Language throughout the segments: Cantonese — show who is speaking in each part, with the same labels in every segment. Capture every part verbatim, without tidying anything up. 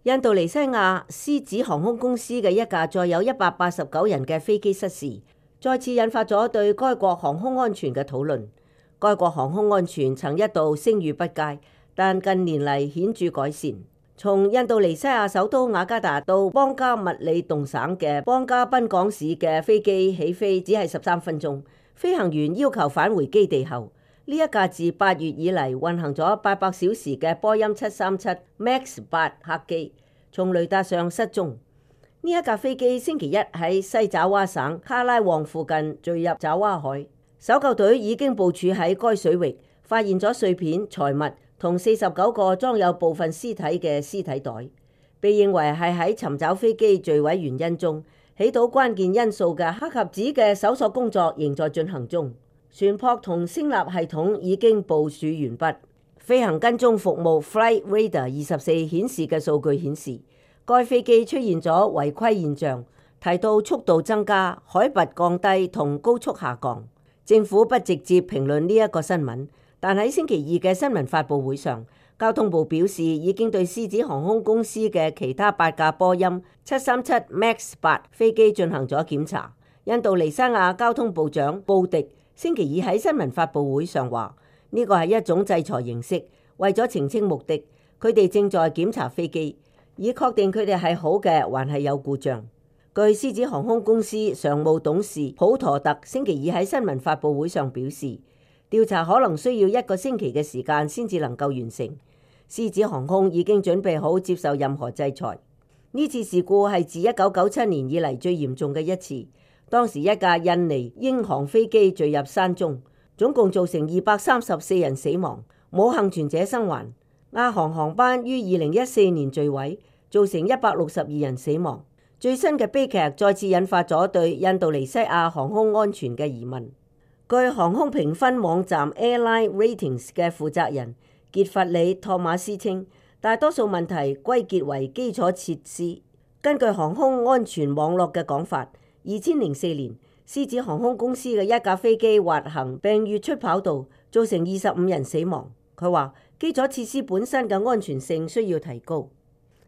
Speaker 1: 印度尼西亞獅子航空公司嘅一架載有一百八十九人嘅飛機失事，再次引發咗對該國航空安全嘅討論。該國航空安全曾一度聲譽不佳，但近年嚟顯著改善。從印度尼西亞首都雅加達到邦加密里動省嘅邦加賓港市嘅飛機起飛只係十三分鐘，飛行員要求返回基地後，呢一架自八月以嚟運行咗八百小時嘅波音七三七 MAX 八客機從雷達上失蹤。呢一架飛機星期一喺西爪哇省卡拉旺附近墜入爪哇海，搜救隊已經部署喺該水域，發現咗碎片、財物同四十九個裝有部分屍體嘅屍體袋，被認為係喺尋找飛機墜毀原因中起到關鍵因素嘅黑匣子嘅搜索工作仍在進行中。船舶同聲納系統已經部署完畢。飛行跟蹤服務 Flight Radar 二十四顯示嘅數據顯示，該飛機出現咗違規現象，提到速度增加、海拔降低同高速下降。政府不直接評論呢一個新聞，但喺星期二嘅新聞發佈會上，交通部表示已經對獅子航空公司嘅其他八架波音七三七 MAX 八飛機進行咗檢查。印度尼西亞交通部長布迪星期二喺新聞發佈會上話，呢個係一種制裁形式，為咗澄清目的，佢哋正在檢查飛機，以確定佢哋係好嘅還係有故障。據獅子航空公司常務董事普陀特星期二喺新聞發佈會上表示，調查可能需要一個星期嘅時間先至能夠完成。獅子航空已經準備好接受任何制裁。呢次事故係自一九九七年以嚟最嚴重嘅一次，當時一架印尼英航飛機墜入山中，總共造成二百三十四人死亡，冇幸存者生還。亞航航班於二零一四年墜毀，造成一百六十二人死亡。最新嘅悲劇再次引發咗對印度尼西亞航空安全嘅疑問。據航空評分網站 Airline Ratings 嘅負責人傑弗里托馬斯稱，大多數問題歸結為基礎設施。根據航空安全網絡嘅講法，二千零四年獅子航空公司嘅一架飛機滑行並越出跑道，造成二十五人死亡。佢話基礎設施本身嘅安全性需要提高。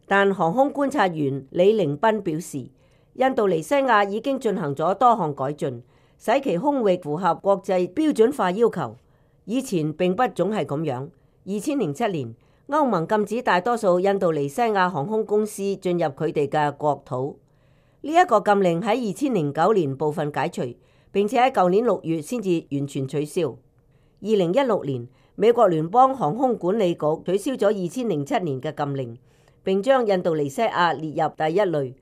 Speaker 1: 但航空觀察員李凌斌表示，印度尼西亞已經進行咗多項改進，使其空域符合國際標準化要求。以前並不總係咁樣。二千零七年，歐盟禁止大多數印度尼西亞航空公司進入佢哋嘅國土。呢一個禁令喺二千零九年部分解除，並且喺舊年六月先至完全取消。二零一六年，美國聯邦航空管理局取消咗二千零七年嘅禁令，並將印度尼西亞列入第一類，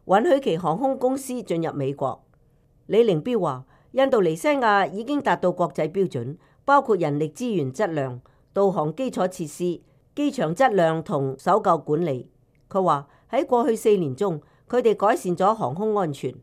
Speaker 1: 允許其航空公司進入美國。李凌彪話，印度尼西亞已經達到國際標準，包括人力資源質量、導航基礎設施、機場質量同搜救管理。佢話喺過去四年中，佢哋改善咗航空安全。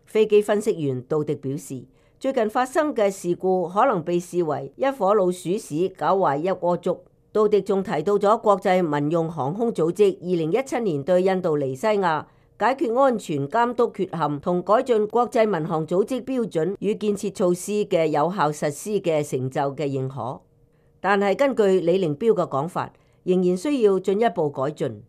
Speaker 1: 飛機分析員杜迪表示，最近發生嘅事故可能被視為一顆老鼠屎搞壞一鍋粥。杜迪仲提到咗國際民用航空組織二零一七年對印度尼西亞解決安全監督缺陷同改進國際民航組織標準與建設措施嘅有效實施嘅成就嘅認可。但係根據李凌彪嘅講法，仍然需要進一步改進。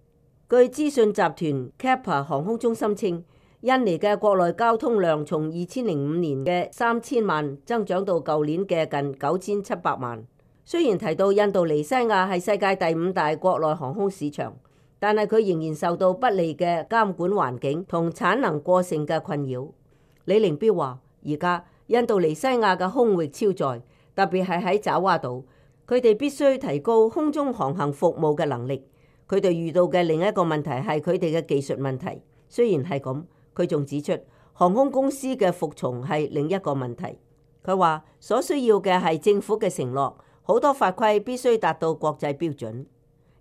Speaker 1: 據資訊集團 Kappa 航空中心稱，印尼嘅國內交通量從二千零五年嘅三千萬增長到舊年嘅近九千七百萬。雖然提到印度尼西亞係世界第五大國內航空市場，但係佢仍然受到不利嘅監管環境同產能過剩嘅困擾。李凌彪話，而家印度尼西亞嘅空域超載，特別係喺爪哇島，佢哋必須提高空中航行服務嘅能力。佢哋遇到嘅另一個問題係佢哋嘅技術問題。雖然係咁，佢仲指出航空公司嘅服從係另一個問題。佢話所需要嘅係政府嘅承諾。好多法規必須達到國際標準。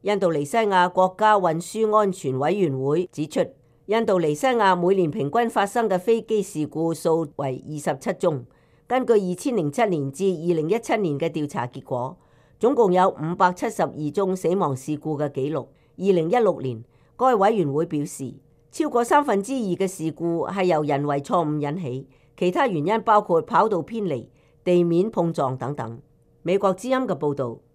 Speaker 1: 印度尼西亞國家運輸安全委員會指出，印度尼西亞每年平均發生嘅飛機事故數為二十七宗。根據二千零七年至二零一七年嘅調查結果，總共有五百七十二宗死亡事故嘅記錄。二零一六年，該委員會表示，超過三分之二嘅事故係由人為錯誤引起，其他原因包括跑道偏離、地面碰撞等等。美國之音嘅報導。